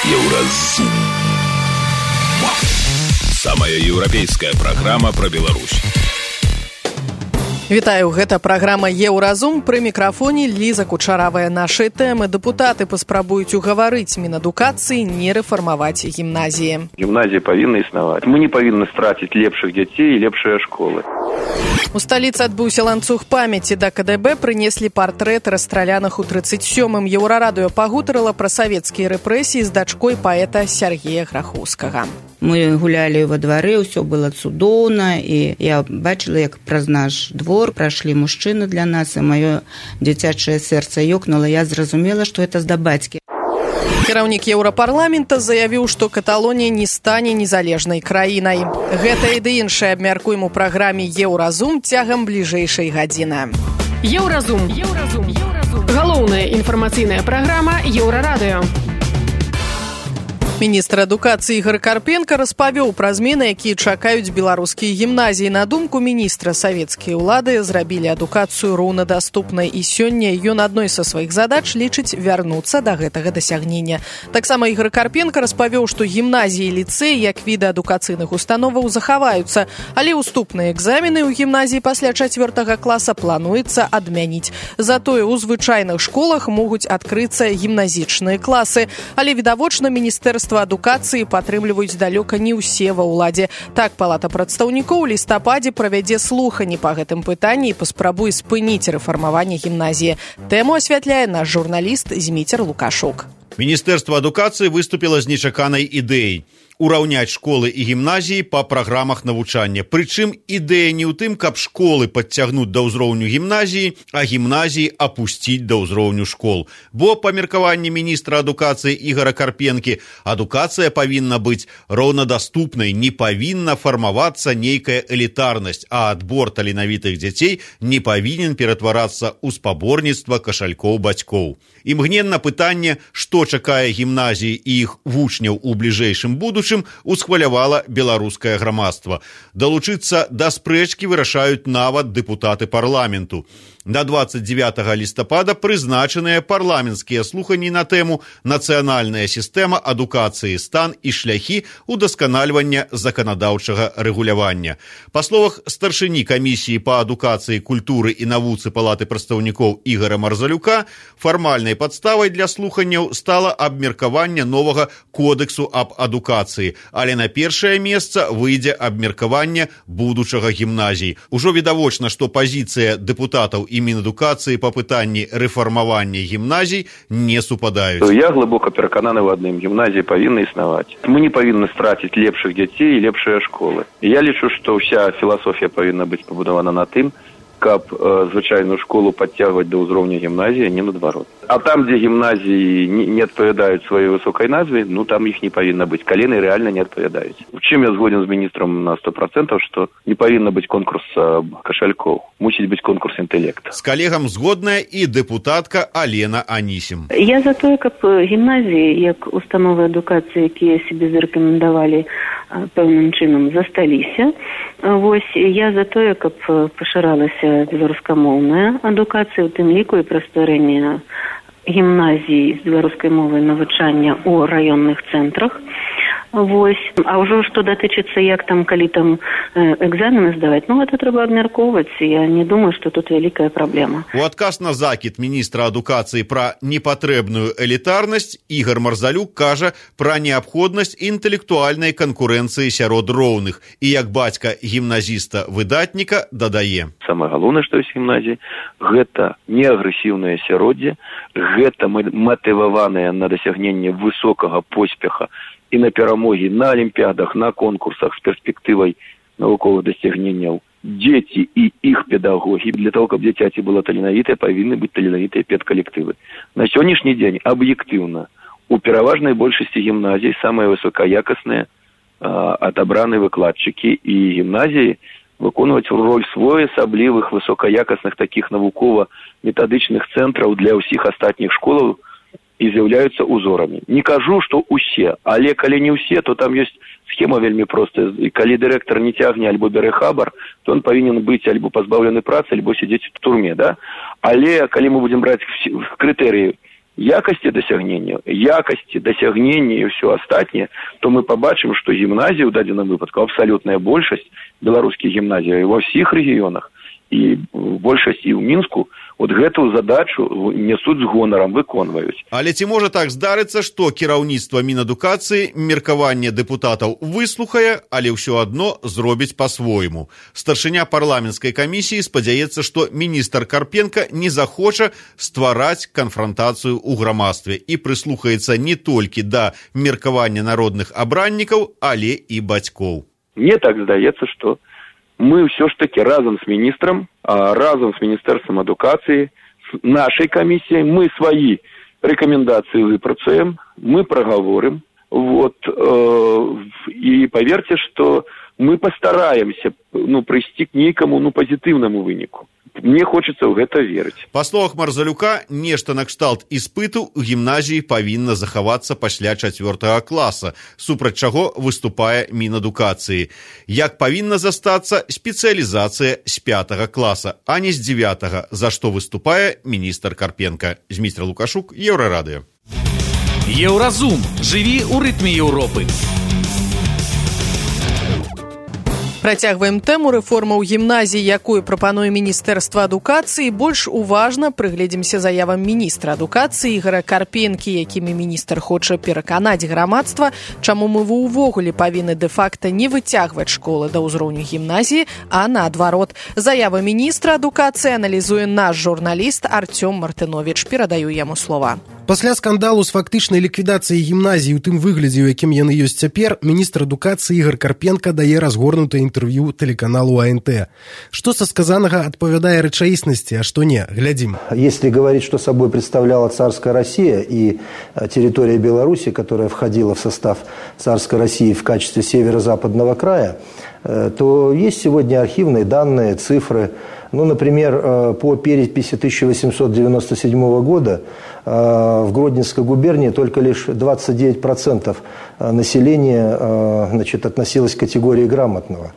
Еўразум. Самая еўрапейская праграма пра Беларусь. Вітаю, гэта праграма «Еўразум». Пры мікрафоне Ліза Кучаравая. Нашыя тэмы. Дэпутаты паспрабуюць угаварыць Мінадукацыі не рэфармаваць гімназіі. Гімназіі павінны існаваць. Мы не павінны страціць лепшых дзяцей і лепшыя школы. У сталіцы адбыўся ланцуг памяці. Да КДБ прынеслі партрэт расстраляных у 37-м. Еўрарадыё пагутарыла пра савецкія рэпрэсіі з дачкой паэта Сергея Грахоўскага. Мы гулялі во двары, ўсё было цудоўна, і я бачыла, як праз наш двор прайшлі мужчыны для нас, і маё дзіцячае сэрца ёкнула. Я зразумела, што гэта з-да бацькі. Кіраўнік Еўрапарламента заявіў, што Каталонія не стане незалежнай краінай. Гэта і ды іншае абмяркуем у праграме «Еўразум» цягам бліжэйшай гадзіны. Еўразум. Галоўная інфармацыйная праграма Еўрарадыё. Міністр адукацыі Ігар Карпенка распавёў пра змены, якія чакаюць беларускія гімназіі. На думку міністра, савецкія ўлады зрабілі адукацыю роўнадаступнай, і сёння ён адной са сваіх задач лічыць вярнуцца да гэтага дасягнення. Таксама Ігар Карпенка распавёў, што гімназіі і ліцэі як віды адукацыйных установаў захаваюцца, але уступныя экзамены ў гімназіі пасля 4 класа плануецца адмяніць. Затое ў звычайных школах могуць адкрыцца гімназічныя класы, але відавочна міністэрства адукацыі падтрымліваюць далёка не ўсе ва ўладзе. Так, Палата прадстаўнікоў у лістападзе правядзе слуханні па гэтым пытанні і паспрабуе спыніць рэфармаванне гімназіі. Тэму асвятляе наш журналіст Зміцер Лукашук. Міністэрства адукацыі выступіла з нечаканай ідэяй ураўняць школы і гімназіі па праграмах навучання. Прычым ідэя не ў тым, каб школы падцягнуць да ўзроўню гімназіі, а гімназіі апусціць да ўзроўню школ. Бо, па меркаванні міністра адукацыі Ігара Карпенкі, адукацыя павінна быць роўнадаступнай, не павінна фармавацца нейкая элітарнасць, а адбор таленавітых дзяцей не павінен ператварацца ў спаборніцтва кашалькоў бацькоў. Імгненна пытанне, што чакае гімназіі і іх вучняў у бліжэйшым будучым, усхвалявала беларускае грамадства. Далучыцца да спрэчкі вырашаюць нават дэпутаты парламенту. На 29 лістапада прызначаныя парламенцкія слуханні на тэму «Нацыянальная сістэма адукацыі, стан і шляхі удасканальвання заканадаўчага рэгулявання». Па словах старшыні камісіі па адукацыі, культуры і навуцы Палаты прадстаўнікоў Ігара Марзалюка, фармальнай падставай для слуханняў стала абмеркаванне новага кодексу аб адукацыі, але на першае месца выйдзе абмеркаванне будучага гімназій. Ужо відавочна, што пазіцыя дэпутатаў і Мінадукацыі па пытанні рэфармавання гімназій не супадаюць. Я глыбока перакананы ў адным: гімназіі павінны існаваць. Мы не павінны страціць лепшых дзяцей і лепшыя школы. Я лічу, што ўся філасофія павінна быць пабудавана на тым, каб звычайную школу падцягваць да ўзроўня гімназіі, не наадварот. А там, дзе гімназіі не адпавядаюць сваёй высокай назве, там іх не павінна быць. Калі яны рэальна не адпавядаюць. У чым я згоден з міністрам на 100%, што не павінна быць конкурс кашалькоў. Мусіць быць конкурс інтэлекта. З калегам згодная і дэпутатка Алена Анісім. Я за тое, каб гімназіі, як установы адукацыі, якія сябе зарэкамендавалі пэўным чынам, засталіся. Вось, я за тое, каб пашыралася беларускамоўная адукацыя, у тым ліку і пра стварэнне гімназій з беларускай мовай навучання ў раённых цэнтрах. Вось. А ўжо што датычыцца, як там, калі там экзамены здаваць, гэта трэба абмяркоўваць. Я не думаю, што тут вялікая праблема. У адказ на закід міністра адукацыі пра непатрэбную элітарнасць Ігар Марзалюк кажа пра неабходнасць інтэлектуальнай канкурэнцыі сярод роўных. І як бацька гімназіста-выдатніка дадае. Самае галоўнае, што ёсць гімназіі, гэта неагрэсіўнае асяроддзе, гэта матываванае на дасягненне высокага поспеха і на перамогі на алімпіядах, на конкурсах з перспектывай навуковых дасягненняў. Дзеці і іх педагогі, для того, каб дзіцяці было таленавітае, павінны быць таленавітыя педкалектывы. На сённяшні дзень аб'ектыўна у пераважнай большасці гімназій самыя высокаякасныя адабраныя выкладчыкі, і гімназіі выконваць роль своеасаблівых высокаякасных такіх навукова-метадычных цэнтраў для ўсіх астатніх школаў і з'яўляюцца узорамі. Не кажу, што ўсе, але калі не ўсе, то там ёсць схема вельмі простая. І калі дырэктар не цягне альбо бярэ хабар, то он павінен быць альбо пазбаўлены працы, альбо сядзець у турме, да? Але калі мы будзем браць крытэрыі якасці дасягнення і ўсё астатняе, то мы пабачым, што гімназіі ў дадзеным выпадку абсалютная большасць беларускіх гімназій ва ўсіх рэгіёнах і большасць і ў Мінску вот гэтую задачу несуць з гонарам, выконваюць. Але ці можа так здарыцца, што кіраўніцтва Мінадукацыі меркаванне дэпутатаў выслухае, але ўсё адно зробіць па-свойму. Старшыня парламенцкай камісіі спадзяецца, што міністр Карпенка не захоча ствараць канфрантацыю ў грамадстве і прыслухаецца не толькі да меркавання народных абраннікаў, але і бацькоў. Мне так здаецца, што мы ўсё ж таки разам з міністрам, разам з міністэрствам адукацыі, з нашай камісіяй, мы сваі рэкамендацыі выпрацуем, мы прагаворым, і паверце, што мы пастараемся прыйсці к нейкаму пазітыўнаму выніку. Мне хочацца ў гэта верыць. Па словах Марзалюка, нешта накшталт іспыту ў гімназіі павінна захавацца пасля 4 класа, супраць чаго выступае Мінадукацыі. Як павінна застацца спецыялізацыя з 5 класа, а не з 9, за што выступае міністр Карпенка. Зміцер Лукашук, Еўрарадыё. Еўразум. Жыві ў рытме Еўропы. Працягваем тэму рэформаў гімназій, якую прапануе Міністэрства адукацыі. Больш уважна прыгледзімся заявам міністра адукацыі Ігора Карпенкі, якімі міністр хоча пераканаць грамадства, чаму мы ўвогуле павінны дэ-факта не выцягваць школы да ўзроўню гімназіі, а наадварот. Заява міністра адукацыі аналізуе наш журналіст Артём Мартыновіч. Перадаю яму слова. Пасля скандалу з фактычнай ліквідацыяй гімназій у тым выглядзе, у якім яны ёсць цяпер, міністр адукацыі Ігор Карпенка дае разгорнутае інтэрв'ю тэлеканалу АНТ. Што са сказанага адпавядае рэчаіснасці, а што не? Глядзім. Если говорить, что собой представляла царская Россия и территория Беларуси, которая входила в состав царской России в качестве северо-западного края, то есть сегодня архивные данные, цифры. Например, по переписи 1897 года в Гродненской губернии только лишь 29% населения относилось к категории грамотного.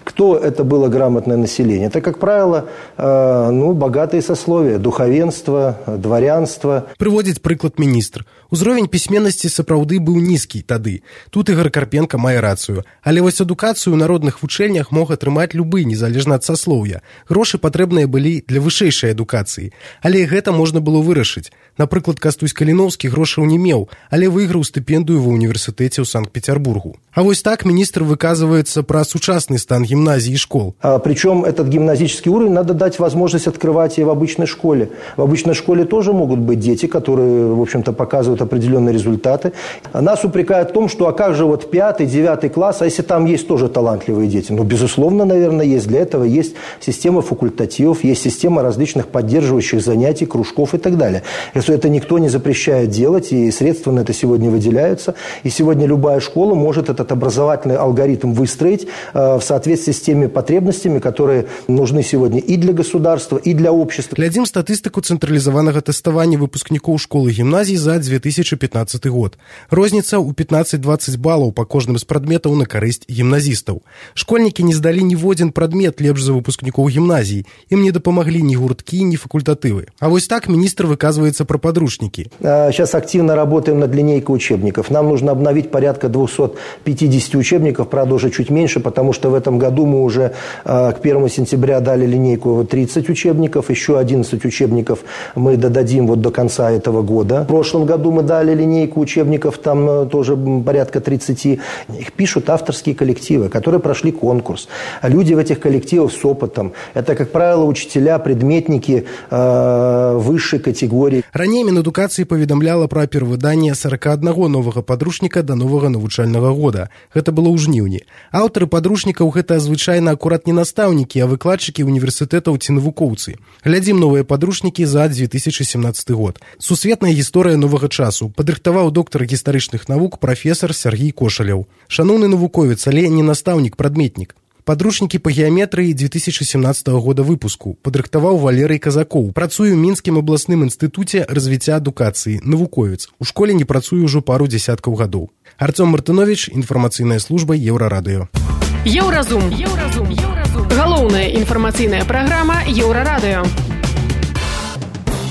Кто это было грамотное население? Это, как правило, богатые сословия, духовенство, дворянство. Прыводзіць прыклад міністр. Узровень пісьменнасці сапраўды быў нізкі тады. Тут Ігор Карпенка мае рацыю. Але вось адукацыю ў народных вучэльнях мог атрымаць любы, незалежна ад саслоўя. Грошы патрэбныя былі для вышэйшай адукацыі. Але гэта можна было вырашыць. Напрыклад, Кастусь Каліноўскі грошаў не меў, але выйграў стыпендыю ва універсітэце ў Санкт-Петербургу. А вось так міністр выказваецца пра сучасны стан гимназий и школ. Причем этот гимназический уровень надо дать возможность открывать и в обычной школе. В обычной школе тоже могут быть дети, которые, в общем-то, показывают определенные результаты. Нас упрекают в том, что а как же 5-9 класс, а если там есть тоже талантливые дети? Безусловно, наверное, есть. Для этого есть система факультативов, есть система различных поддерживающих занятий, кружков и так далее. Это никто не запрещает делать, и средства на это сегодня выделяются. И сегодня любая школа может этот образовательный алгоритм выстроить в соответствии с теми потребностями, которые нужны сегодня и для государства, и для общества. Глядзім статыстыку цэнтралізаванага тэставання выпускнікоў школы і гімназій за 2015 год. Розніца ў 15-20 балаў па кожным з прадметаў на карысць гімназістаў. Школьнікі не здалі ніводзін прадмет лепш за выпускнікоў гімназій. Ім не дапамаглі ні гурткі, ні факультатывы. А вось так міністр выказваецца пра подручники. Сейчас активно работаем над линейкой учебников. Нам нужно обновить порядка 250 учебников, правда, уже чуть меньше, потому что в этом году мы уже к 1 сентября дали линейку 30 учебников, еще 11 учебников мы додадим до конца этого года. В прошлом году мы дали линейку учебников, там тоже порядка 30. Их пишут авторские коллективы, которые прошли конкурс. Люди в этих коллективах с опытом. Это, как правило, учителя, предметники высшей категории. Раней Мінадукацыі паведамляла пра перавыданне 41 новага падручніка да новага навучальнага года. Гэта было ў жніўні. Аўтары падручнікаў гэта звычайна акурат не настаўнікі, а выкладчыкі універсітэтаў ці навукоўцы. Глядзім новыя падручнікі за 2017 год. Сусветная гісторыя новага часу. Падрыхтаваў доктар гістарычных навук прафесар Сергій Кошалеў. Шаноўны навуковец, але не настаўнік-прадметнік. Падручнікі па геаметрыі 2017 года выпуску падрыхтаваў Валерый Казакоў. Працуе ў Мінскім абласным інстытуце развіцця адукацыі, навуковец. У школе не працуе ўжо пару дзесяткаў гадоў. Артём Мартыновіч, інфармацыйная служба Еўрарадыё. Еўразум. Галоўная інфармацыйная праграма Еўрарадыё.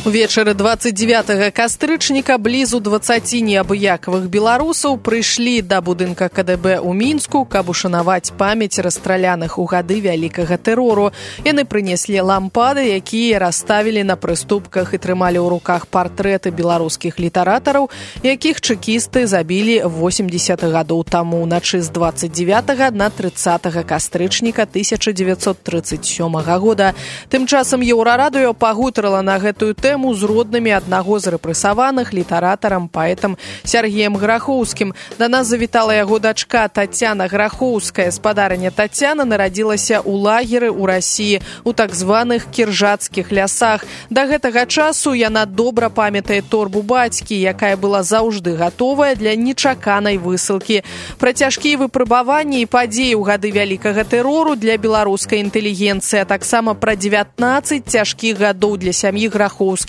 Увечары 29 кастрычніка блізу 20 неабыякавых беларусаў прыйшлі да будынка КДБ ў Мінску, каб ушанаваць памяць расстраляных у гады вялікага тэрору. Яны прынеслі лампады, якія расставілі на прыступках і трымалі ў руках партрэты беларускіх літаратараў, якіх чэкісты забілі 80 гадоў таму, уначы з 29 на 30 кастрычніка 1937 года. Тым часам Еўрарадыё пагутарыла на гэтую тэму з роднымі аднаго з рэпрэсаваных, літаратарам, паэтам Сергеем Грахоўскім. Да нас завітала яго дачка Тацяна Грахоўская. Спадарыня Тацяна нарадзілася ў лагеры ў Расіі, у так званых кіржацкіх лясах. Да гэтага часу яна добра памятае торбу бацькі, якая была заўжды гатовая для нечаканай высылкі. Пра цяжкія выпрабаванні і падзеі ў гады вялікага тэрору для беларускай інтэлігенцыі, а таксама пра 19 цяжкіх гадоў для сям'і Грахоўскіх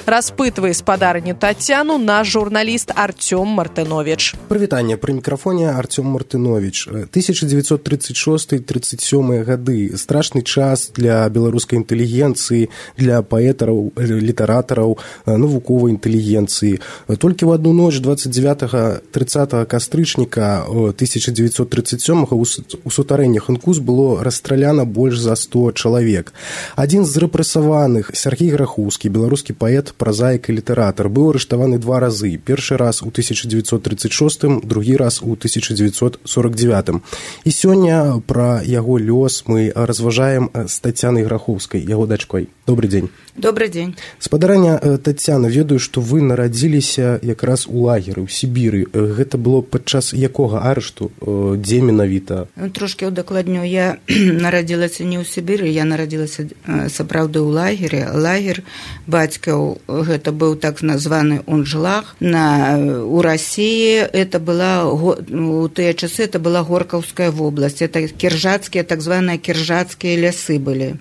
распытвае спадарню Тацяну наш журналіст Артём Мартынович. Прывітанне, пры мікрафоне Артём Мартынович. 1936-37 гады. Страшны час для беларускай інтэлігенцыі, для паэтараў, літаратараў, навуковай інтэлігенцыі. Толькі ў адну ноч 29-30 кастрычніка 1937 у сутарэннях Інкус было расстраляна больш за 100 чалавек. Адзін з рэпрэсаваных, Сергей Грахоўскі, беларускі паэт, празаік і літаратар, быў арыштаваны 2 разы. Першы раз у 1936, другі раз у 1949. І сёння пра яго лёс мы разважаем з Тацянай Грахоўскай, яго дачкой. Добрый дзень. Добрый дзень. Спадарыня Тацяна, ведаю, што вы нарадзіліся якраз у лагеры, ў Сібіры. Гэта было падчас якога арышту? Дзе менавіта? Трошкі удакладню. Я нарадзілася не ў Сібіры, я нарадзілася сапраўды ў лагеры. Лагер бацькаў, гэта быў так названы Унжлах. У Расіі это была, у тыя часы это была Горкаўская вобласць. Это кіржацкія, так званыя кіржацкія лясы былі.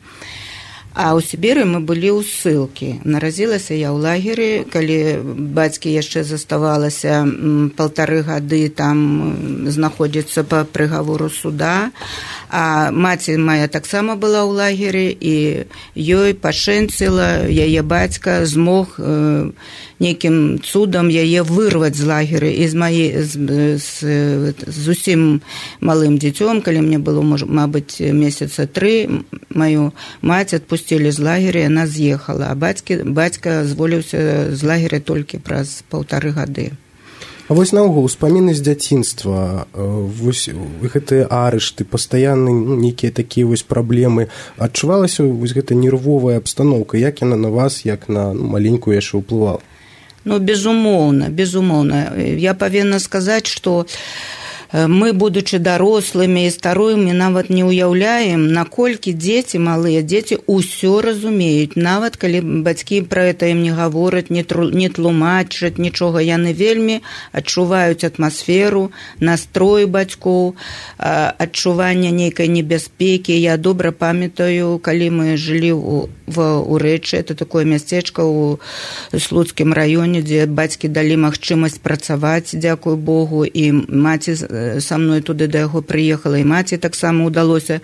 А ў Сібіры мы былі ў ссылкі. Нарадзілася я ў лагеры, калі бацькі яшчэ заставалася 1,5 гады там знаходзіцца па прыгавору суда. А маці моя таксама была ў лагеры, і ёй пашэнціла, яе бацька змог нейкім цудам яе вырваць з лагеры. І зусім малым дзіцём, калі мне было, мабыць, месяца 3, маю маці адпусцілі з лагеря, яна з'ехала, а бацька зволіўся з лагеря толькі праз 1,5 гады. А вось наогул успаміны з дзяцінства, вось гэтыя арышты, пастаянны нейкія такія вось праблемы, адчувалася вось гэта нервовая абстаноўка, як яна на вас, як на маленькую яшчэ ўплывала? Безумоўна. Я павінна сказаць, што мы, будучы дарослымі і старымі, нават не ўяўляем, наколькі дзеці, малыя дзеці, усё разумеюць. Нават калі бацькі пра гэта ім не гавораць, не тлумачаць нічога, яны вельмі адчуваюць атмасферу, настрой бацькоў, адчуванне нейкай небяспекі. Я добра памятаю, калі мы жылі у Рэчы, это такое мясцечка ў Слуцкім раёне, дзе бацькі далі магчымасць працаваць, дзякуй Богу, і маці са мной туды да яго прыехала, і маці таксама ўдалося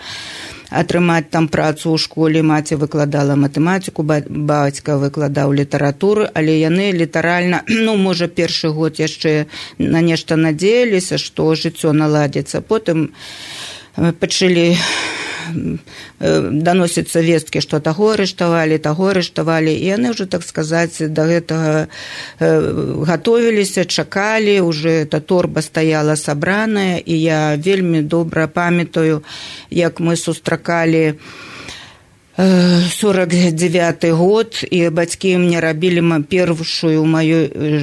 атрымаць там працу ў школе. Маці выкладала матэматыку, бацька выкладаў літаратуру, але яны літаральна, можа, першы год яшчэ на нешта надзеяліся, што жыццё наладзіцца. Потым пачалі даносіцца весткі, што таго арыштавалі, і яны ўжо, так сказаць, да гэтага гатовіліся, чакалі, уже эта торба стаяла сабраная, і я вельмі добра памятаю, як мы сустракалі 49 год, і бацькі мне рабілі першую ў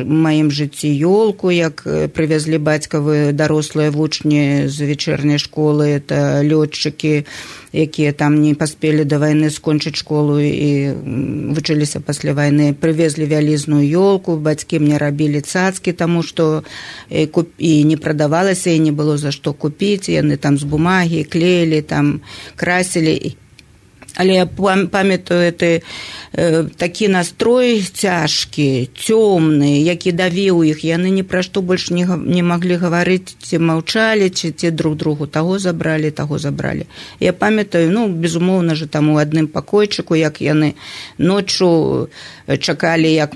маім жыцці ёлку, як прывязлі бацькавы дарослыя вучні з вечерняй школы, это лётчыкі, якія там не паспелі да вайны скончыць школу і вучыліся пасля вайны, прывезлі вялізную ёлку, бацькі мне рабілі цацкі, таму што і не прадавалася, і не было за што купіць, яны там з бумагі клеілі, там красілі. Але я памятаю такі настрой цяжкі, цёмны, які давіў іх. Яны ні пра што больш не маглі гаварыць, ці маўчалі, ці друг другу таго забралі. Я памятаю, безумоўна же, там у адным пакойчыку, як яны ноччу чакалі, як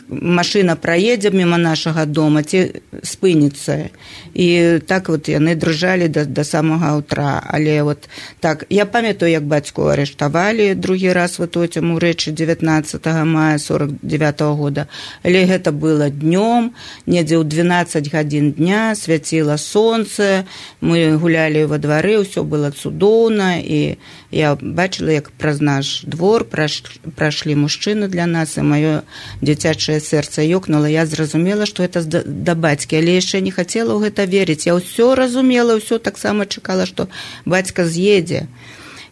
машина праедзе мимо нашага дома, ці спыніцца. І так яны дрыжалі да самага ўтра. Але так, я памятаю, як бацьку арыштавалі другі раз у рэчы 19 мая 49-го года. Але гэта было днём, недзе ў 12 гадзін дня, свяціла сонце, мы гулялі во двары, ўсё было цудоўна, і я бачыла, як праз наш двор прайшлі мужчыны для нас, і маё дзіцячае сэрца ёкнула. Я зразумела, што гэта да бацькі, але яшчэ не хацела ў гэта верыць. Я ўсё разумела, ўсё таксама чакала, што бацька з'едзе.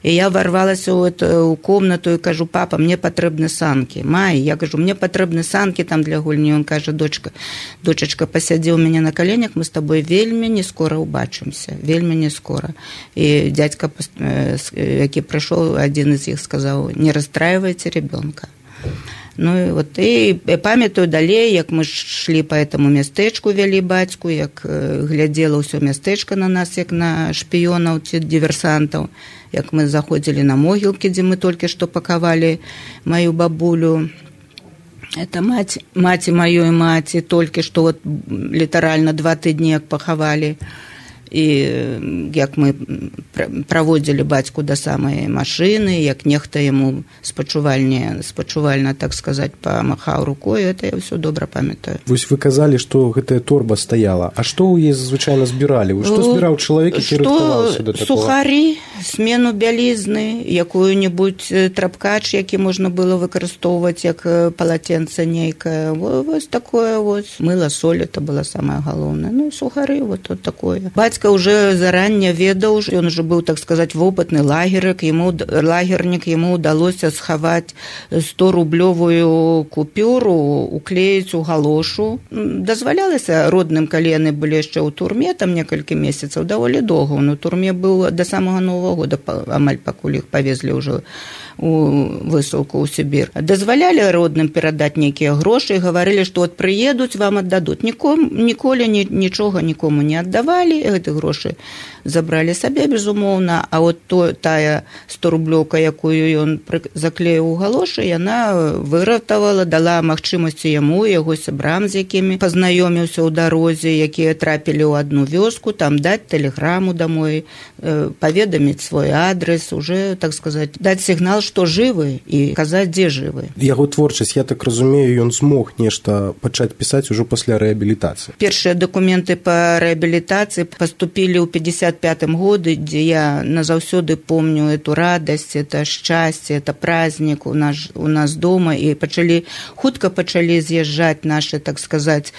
І я ворвалася ў комнату і кажу: папа, мне патрэбны санкі. Май, я кажу, мне патрэбны санкі там для гульні. Он кажа: дочачка, пасядзі ў мяне на каленях, мы з табой вельмі не скора ўбачымся, вельмі не скора. І дзядзька, які прыйшоў, адзін з іх сказаў: не расстраивайте ребенка. І памятаю далей, як мы шлі па этому мястэчку, вялі бацьку, як глядзела ўсё мястэчка на нас, як на шпіёнаў ці діверсантаў, як мы заходзілі на могілкі, дзе мы толькі што пакавалі маю бабулю. Это маці маёй маці, толькі што літаральна 2 тыдні як пахавалі. І як мы праводзілі бацьку да самай машыны, як нехта яму спачувальна, так сказаць, памахаў рукой, это я ўсё добра памятаю. Вось вы казалі, што гэтая торба стаяла. А што ў яе звычайна збіралі? Што збіраў чалавек, які рыхтаваўся да такога? Сухары, смену бялізны, якую-небудзь трапкач, які можна было выкарыстоўваць як палаценца нейкае. Вось такое вось. Мыла, соль, это было самае галоўнае. Сухары, вот такое. Бацька уже зарання ведаў, ён уже быў, так сказаць, вопытны лагернік, яму ўдалося схаваць 100-рублёвую купюру, уклеіць у галошу. Дазвалялася родным, калі яны былі яшчэ ў турме, там некалькі месяцаў, даволі доўга. Он у турме быў да самага Новага года, амаль пакуль іх павезлі ўжо у высылку ў Сібір. Дазвалялі родным перадаць нейкія грошы і гаварылі, што прыедуць, вам аддадуць. Ніколі нічога нікому не аддавалі, гэты грошы забралі сабе, безумоўна, а тая 100-рублёўка, якую ён заклеіў у галошы, яна выратавала, дала магчымасці яму, яго сябрам, з якімі пазнаёміўся ў дарозе, якія трапілі ў адну вёску, там даць тэлеграму домой, паведаміць свой адрес, уже, так сказаць, даць сігнал, што жывы, і казаць, дзе жывы. Яго творчасць, я так разумею, ён змог нешта пачаць пісаць ужо пасля рэабілітацыі. Першыя дакументы па рэабілітацыі паступілі ў 55-м году, дзе я назаўсёды помню эту радасць, это шчасце, это праздник у нас дома, і хутка пачалі з'язджаць нашы, так сказаць,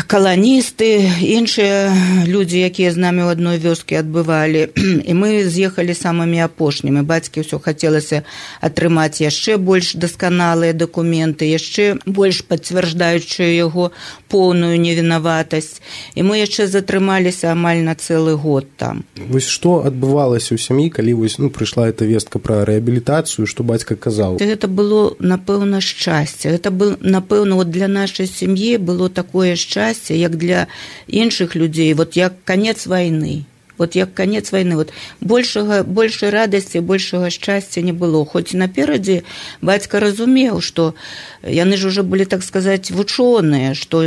каланісты, іншыя людзі, якія з намі ў адной вёскі адбывалі. І мы з'ехалі самымі апошнімі. Бацькі ўсё хацелася атрымаць яшчэ больш дасканалыя дакументы, яшчэ больш пацвярджаючыя яго поўную невінаватасць. І мы яшчэ затрымаліся амаль на цэлы год там. Вось што адбывалася ў сям'і, калі прыйшла эта вестка пра рэабілітацыю, што бацька казаў? Гэта было, напэўна, шчасце. Гэта было, напэўна, для нашай сям'і было такое шчасце, як для іншых людзей, як канец вайны. Большай радасці, большага шчасця не было. Хоць наперадзе бацька разумеў, што яны ж уже былі, так сказаць, вучоныя, што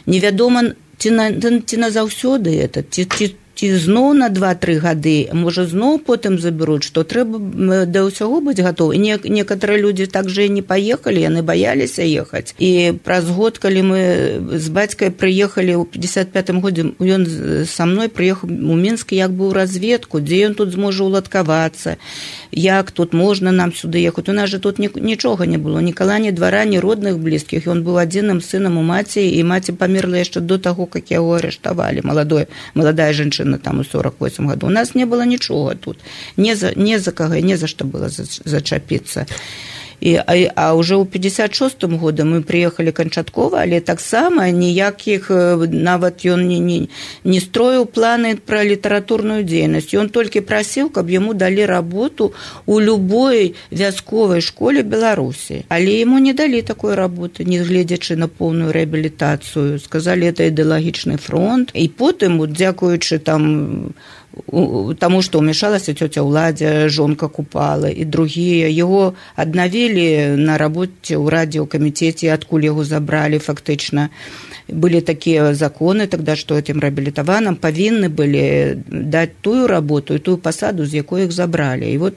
невядома, ці назаўсёды это, ці зноў на 2-3 гады, можа зноў потым забяруць, што трэба да ўсяго быць гатовы. Некаторыя людзі так жа і не паехалі, яны баяліся ехаць. І праз год, калі мы з бацькай прыехалі ў 55-м годзе, ён са мной прыехаў у Мінск як бы ў разведку, дзе ён тут зможа уладкавацца, як тут можна нам сюды ехаць. У нас жа тут нічога не было, ні кала, ні двара, ні родных блізкіх. Ён быў адзіным сынам у маці, і маці памерла яшчэ до таго, як яго арыштавалі. Маладая жанчына там у 48 году. У нас не было нічога тут. Не за кого, не за што было зачапіцца. А уже ў 56-м году мы приехали канчаткова, але таксама ніякіх, нават ён не строіў планы пра літаратурную дзейнасць. Ён толькі прасіў, каб яму далі работу у любой вясковай школе Беларусі. Але ему не далі такой работы, не гледзячы на поўную рэабілітацыю. Сказалі, это ідэалагічны фронт. І потым, дзякуючы таму, што ўмешалася цёця Ўладзя, жонка Купала і другія, яго аднавілі на работе ў радыёкамітэце, адкуль яго забралі фактычна. Былі такія законы тогда, што этим рэабілітаваным павінны былі даць тую работу і тую пасаду, з якой іх забралі. І вот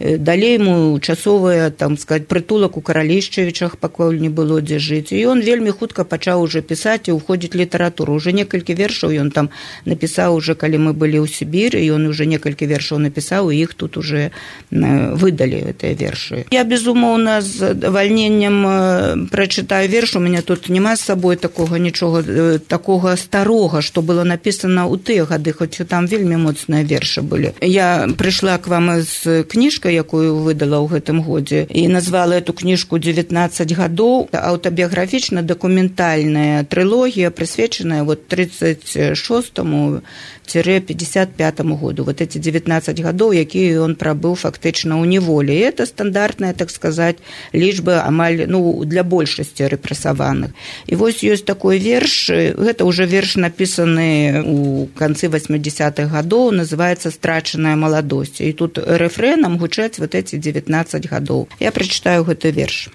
далей ему часовая, там сказать, прытулак у Каралішчавічах, пакуль не было дзе жыць. І ён вельмі хутка пачаў уже пісаць і ўходзіць літаратуру. Уже некалькі вершаў ён там напісаў, уже калі мы былі ў Сібіры, ён уже некалькі вершаў напісаў, і іх тут уже выдалі, гэтыя вершы. Я, безумоўна, з вальненнем прачытаю верш, у мяне тут няма з сабой такога нічога, такога старога, што было напісана ў тыя гады, хоць там вельмі моцныя вершы былі. Я прыйшла к вам з кніжкай, якую выдала ў гэтым годзе, і назвала эту кніжку «19 гадоў». Аўтабіяграфічна дакументальная трылогія, прысвечаная 36-55 году. Вот эти 19 гадоў, якія ён прабыў фактычна ў неволі. І это стандартная, так сказать, лічба амаль, для большасці рэпрэсаваных. І вось ёсць такой верш, гэта ўжо верш напісаны ў канцы 80-х гадоў, называецца «Страчаная маладосць». І тут рэфрэнам гучаць вот эти 19 гадоў. Я прачытаю гэты верш.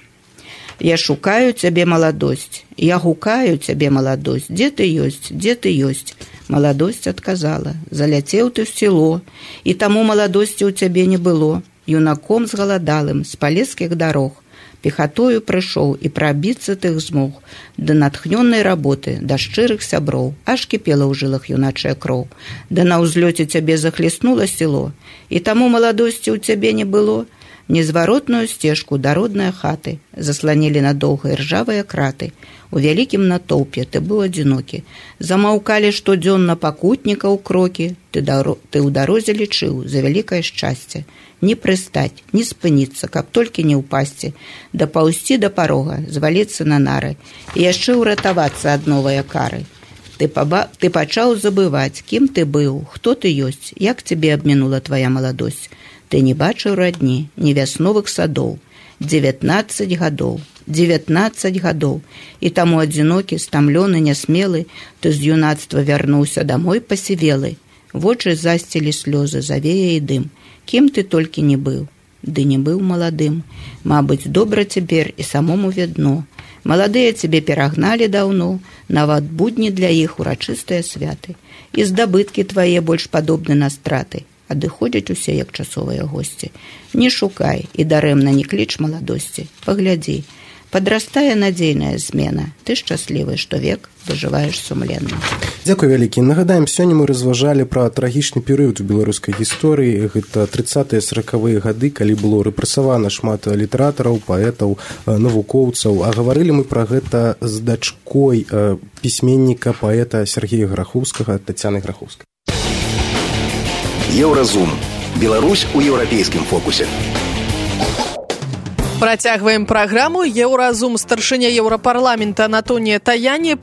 Я шукаю цябе, маладосць, я гукаю цябе, маладосць, дзе ты ёсць, дзе ты ёсць? Маладосць адказала, заляцеў ты ў село, і таму маладосці ў цябе не было. Юнаком згаладалым з палескіх дарог, пехатою прыйшоў і прабіцца тых змог, да натхнённай работы, да шчырых сяброў, аж кіпела ў жылах юначая кроў, да на ўзлёце цябе захлеснула село, і таму маладосці ў цябе не было. Незваротную сцежку да роднае хаты засланілі надоўга іржавыя краты. У вялікім натоўпе ты быў адзінокі. Замаўкалі штодзённа пакутнікаў крокі. Ты ў дарозе лічыў за вялікае шчасце. Не прыстаць, не спыніцца, каб толькі не ўпасці. Дапаўсці да парога, зваліцца на нары. І яшчэ ўратавацца ад новае кары. Ты пачаў забываць, кім ты быў, хто ты ёсць, як цябе абмінула твая маладосць. Ты не бачыў радні, ні вясновых садоў. 19 гадоў, 19 гадоў. І таму адзінокі, стамлёны, нясмелы, ты з юнацтва вярнуўся дамой пасівелы. Вочы засцілі слёзы, завея і дым. Кім ты толькі не быў, ды не быў маладым. Мабыць, добра цяпер і самому відно. Маладыя цябе перагналі даўно, нават будні для іх урачыстыя святы. І здабыткі твае больш падобны на страты. Адыходзяць усе, як часовыя госці. Не шукай і дарэмна не кліч маладосці. Паглядзі, падрастае надзейная змена. Ты шчаслівы, што век дажываеш сумленна. Дзякуй вялікі. Нагадаем, сёння мы разважалі пра трагічны перыяд у беларускай гісторыі. Гэта 30-40-е гады, калі было рэпрэсавана шмат літаратараў, паэтаў, навукоўцаў. А гаварылі мы пра гэта з дачкой пісьменніка, паэта Сергея Грахоўскага, Тацяны Грахоўскай. Еўразум. Беларусь у еўрапейскім фокусе. Працягваем праграму. Еўразум. Старшыня Еўрапарламента Антонія Таяні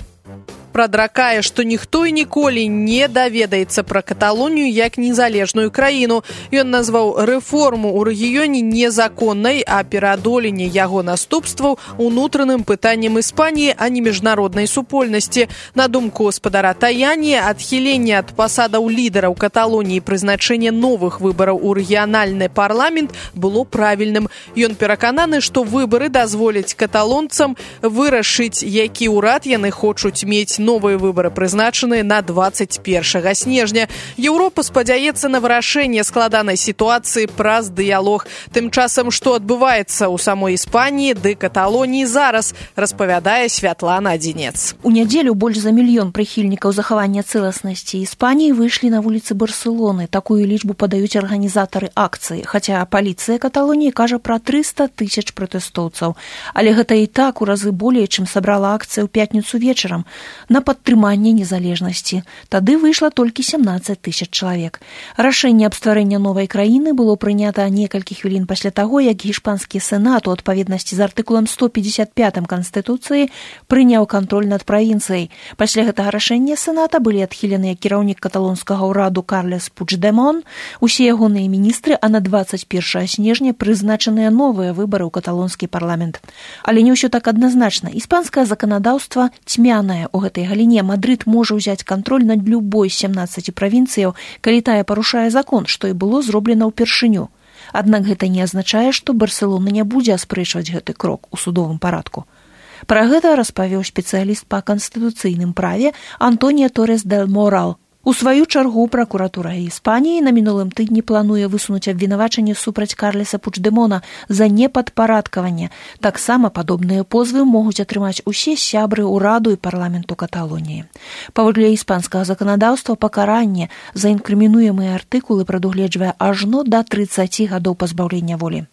прадракае, што ніхто і ніколі не даведаецца пра Каталонію як незалежную краіну. Ён назваў рэформу ў рэгіёне незаконнай, а пераадоленне яго наступстваў унутраным пытаннем Іспаніі, а не міжнароднай супольнасці. На думку гаспадара Таяні, адхіленне ад пасадаў лідараў Каталоніі і прызначэнне новых выбараў у рэгіянальны парламент было правільным. Ён перакананы, што выбары дазволяць каталонцам вырашыць, які ўрад яны хочуць мець. Новыя выбары прызначаны на 21 снежня. Еўропа спадзяецца на вырашэнне складанай сітуацыі праз дыялог. Тым часам, што адбываецца ў самой Іспаніі ды Каталоніі зараз, распавядае Святлана Адзінец. У нядзелю больш за 1 мільён прыхільнікаў захавання цэласнасці Іспаніі выйшлі на вуліцы Барселоны. Такую лічбу падаюць арганізатары акцыі, хаця паліцыя Каталоніі кажа пра 300 000 пратэстоўцаў. Але гэта і так у разы болей, чым сабрала акцыя ў пятніцу вечарам. на падтрыманне незалежнасці. Тады выйшла толькі 17 тысяч чалавек. Рашэнне аб стварэння новай краіны было прынята некалькі хвілін пасля таго, як іспанскі сенат у адпаведнасці з артыкулам 155 Канстытуцыі прыняў кантроль над правінцыяй. Пасля гэтага рашэння сената былі адхіленыя кіраўнік каталонскага ўраду Карлес Пучдемон, усе ягоныя міністры, а на 21 снежня прызначаныя новыя выбары ў каталонскі парламент. Але не ўсё так адназначна. Іспанскае заканадаўства цьмянае ў гэтай галіне. Мадрид можа ўзяць кантроль над любой з 17 правінцыяў, калі тая парушае закон, што і было зроблена ўпершыню. Аднак гэта не азначае, што Барселона не будзе аспрэчваць гэты крок у судовым парадку. Пра гэта распавёў спецыяліст па канстытуцыйным праве Антонио Торрес дель Морал. У сваю чаргу пракуратура Іспаніі на мінулым тыдні плануе высунуць абвінавачанне супраць Карлеса Пучдемона за непадпарадкаванне. Таксама падобныя позвы могуць атрымаць усе сябры ўраду і парламенту Каталоніі. Паводле іспанскага заканадаўства пакаранне за інкрымінуемыя артыкулы прадугледжвае ажно да 30 гадоў пазбаўлення волі.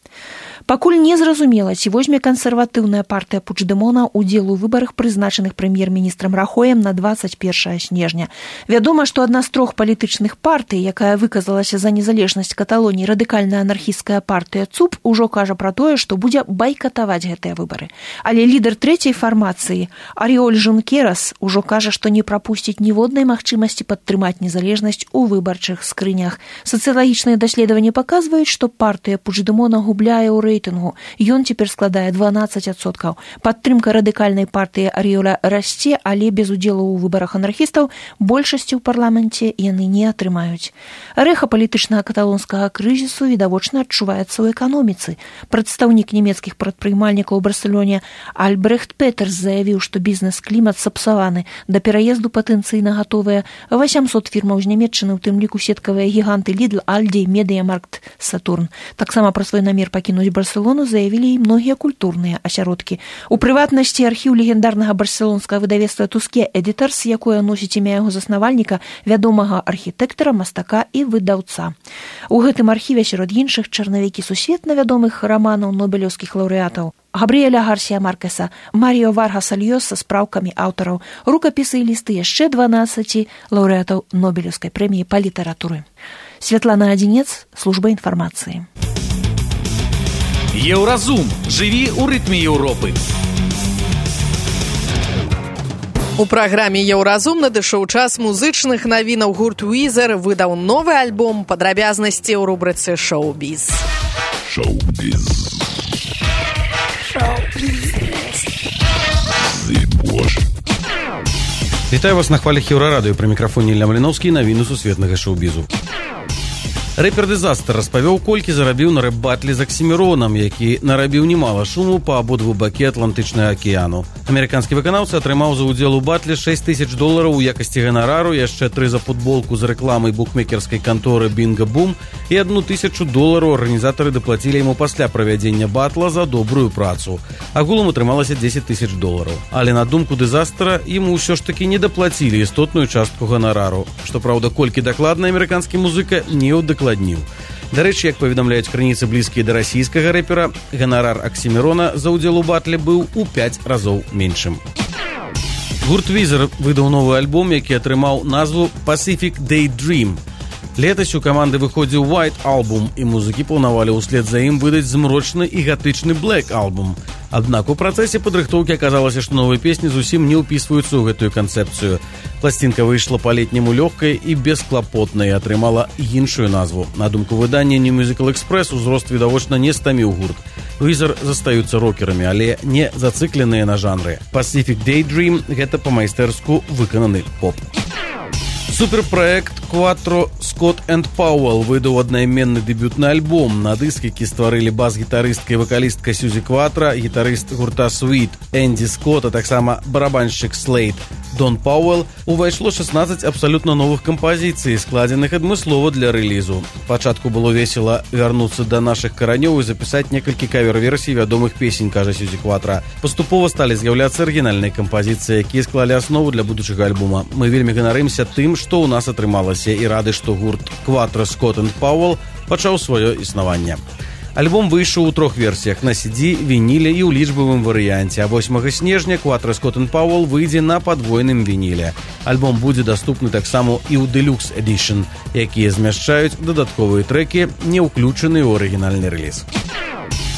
Пакуль не зразумела, ці возьме кансерватыўная партыя Пучдемона ўдзел у выбарах, прызначаных прэм'ер-міністрам Рахоем на 21 снежня. Вядома, што адна з 3 палітычных партый, якая выказалася за незалежнасць Каталоніі, радыкальная анархісцкая партыя ЦУП, ужо кажа пра тое, што будзе байкатаваць гэтыя выбары. Але лідар трэцяй фармацыі Ариоль Жункерас ужо кажа, што не прапусціць ніводнай магчымасці падтрымаць незалежнасць у выбарчых скрынях. Сацыялагічныя даследаванні паказваюць, што партыя Пучдемона губляе ў рэйтынгу. Ён цяпер складае 12%. Падтрымка радыкальнай партыі Ариоля расце, але без удзелу ў выбарах анархістаў большасці ў парламенце яны не атрымаюць. Рэха палітычнага каталонскага крызісу відавочна адчуваецца ў эканоміцы. Прадстаўнік нямецкіх прадпрымальнікаў у Барселоне Альбрехт Петерс заявіў, што бізнес-клімат сапсаваны. Да пераезду патэнцыйна гатовыя 800 фірмаў з Нямецчыны, у тым ліку сеткавыя гіганты Lidl, Aldi, Mediamarkt, Saturn. Таксама пра свой намер пакінуць Барселону заявілі і многія культурныя асяродкі. У прыватнасці архіў легендарнага барселонскага выдавецтва Туске Editors, якое носіць імя яго заснавальніка, вядомага архітэктара, мастака і выдаўца. У гэтым архіве сярод іншых чарнавікі сусветна вядомых раманаў нобелеўскіх лаўрэатаў Габріэля Гарсія Маркеса, Маріо Варгаса Льёса з спраўкамі аўтараў, рукапісы і лісты яшчэ 12 лаўрэатаў Нобелеўскай прэміі па літаратуры. Святлана Адзінец, служба інфармацыі. Еўразум. Жыві ў рытме Еўропы. У праграме «Еўразум» надышоў час музычных навінаў. Гурт Уизер выдаў новы альбом. Падрабязнасці ў рубрыцы «Шоу-біз». Шоу-біз. Вітаю вас на хвалях Еўрарадыё. Пры мікрафоне Ілля Маліноўскі, навіны сусветнага шоу-бізу. Рэпер Дызастер распавёў, колькі зарабіў на рэп-батлі з Аксіміронам, які нарабіў немала шуму па абодву бакі Атлантычнага акіяну. Амерыканскі выканаўца атрымаў за ўдзел у батле $6000 у якасці ганарару, яшчэ 3 за футболку з рэкламай букмекерскай канторы Bingo Boom і $1000 арганізатары даплацілі яму пасля правядзення батла за добрую працу. Агулам атрымалася $10,000. Але на думку Дызастера, яму ўсё ж такі не даплацілі істотную частку ганарару. Што праўда, колькі дакладна амерыканскі музыка не ўдакладніў. Дарэчы, як паведамляюць крыніцы блізкія да расійскага рэпера, ганарар Аксімірона за ўдзел у батле быў у 5 разоў меншым. Гурт Візер выдаў новы альбом, які атрымаў назву Pacific Daydream. Летась у каманды выходзіў White Album, і музыкі планавалі ўслед за ім выдаць змрочны і гатычны Black Album. Аднак у працэсе падрыхтоўкі аказалася, што новыя песні зусім не ўпісваюцца ў гэтую канцэпцыю. Пласцінка выйшла па-летняму лёгкай і бесклапотнай, атрымала іншую назву. На думку выдання New Musical Express, узрост відавочна не стаміў гурт. Візер застаюцца рокерамі, але не зацыкленыя на жанры. Pacific Daydream – гэта па-майстэрску выкананы поп. Суперпраект Quattro Scott and Powell выдаў аднайменны дэбютны альбом. На дыск, які стварылі бас-гітарыстка і вакалістка Сьюзі Кватра, гітарыст гурта Sweet Энді Скотт, а таксама барабаншчык Slade Дон Пауэлл, увайшло 16 абсалютна новых кампазіцый, складзеных адмыслова для рэлізу. Пачатку было весела вярнуцца да нашых каранёў і запісаць некалькі кавер-версій вядомых песень, кажа Сьюзі Кватра. Паступова сталі з'яўляцца арыгінальныя кампазіцыі, якія склалі аснову для будучага альбома. Мы вельмі ганарымся тым, што ў нас атрымалася, і рады, што гурт Quattro Scott and Powell пачаў сваё існаванне. Альбом выйшаў у 3 версіях: на CD, вініле і ў лічбавым варыянце. А 8 снежня Quattro Scott & Powell выйдзе на падвойным вініле. Альбом будзе даступны таксама і ў Deluxe Edition, якія змяшчаюць дадатковыя трэкі, не ўключаныя ў арыгінальны рэліз.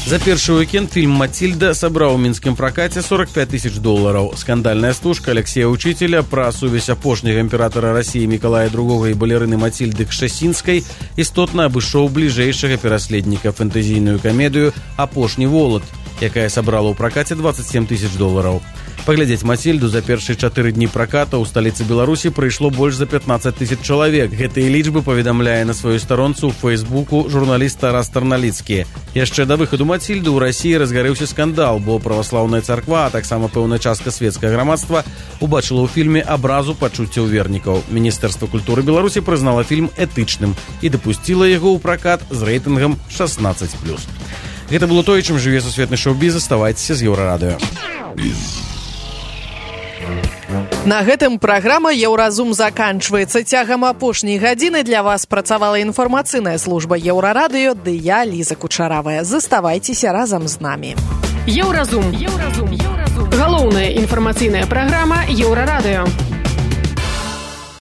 За першы уикенд фільм «Матильда» сабраў у мінскім пракаце $45 000. Скандальная стужка Алексея Учителя пра сувязь апошняга імператара Расіі Мікалая II і балерыны Матильды Кшасінскай істотна абышоў бліжэйшага пераследніка фэнтэзійную камедыю «Апошні волат», якая сабрала ў пракаце $27 000. Паглядзець «Матильду» за першыя 4 дні праката ў сталіцы Беларусі прыйшло больш за 15 000 чалавек. Гэтыя лічбы паведамляе на сваёй старонцы ў Фейсбуку журналіст Тарас Тарналіцкі. Яшчэ да выхаду «Матильды» ў Расіі разгарэўся скандал, бо праваслаўная царква, а таксама пэўная частка светскага грамадства убачыла ў фільме абразу пачуццяў вернікаў. Міністэрства культуры Беларусі прызнала фільм этычным і дапусціла яго ў пракат з рэйтынгам 16+. Гэта было тое, чым жыве сусветны шоу-біз. Заставайцеся з Еўрарадыё. На гэтым праграма «Еўразум» заканчваецца. Цягам апошняй гадзіны для вас працавала інфармацыйная служба Еўрарадыё, ды я, Ліза Кучаравая. Заставайцеся разам з намі. Еўразум. Галоўная інфармацыйная праграма Еўрарадыё.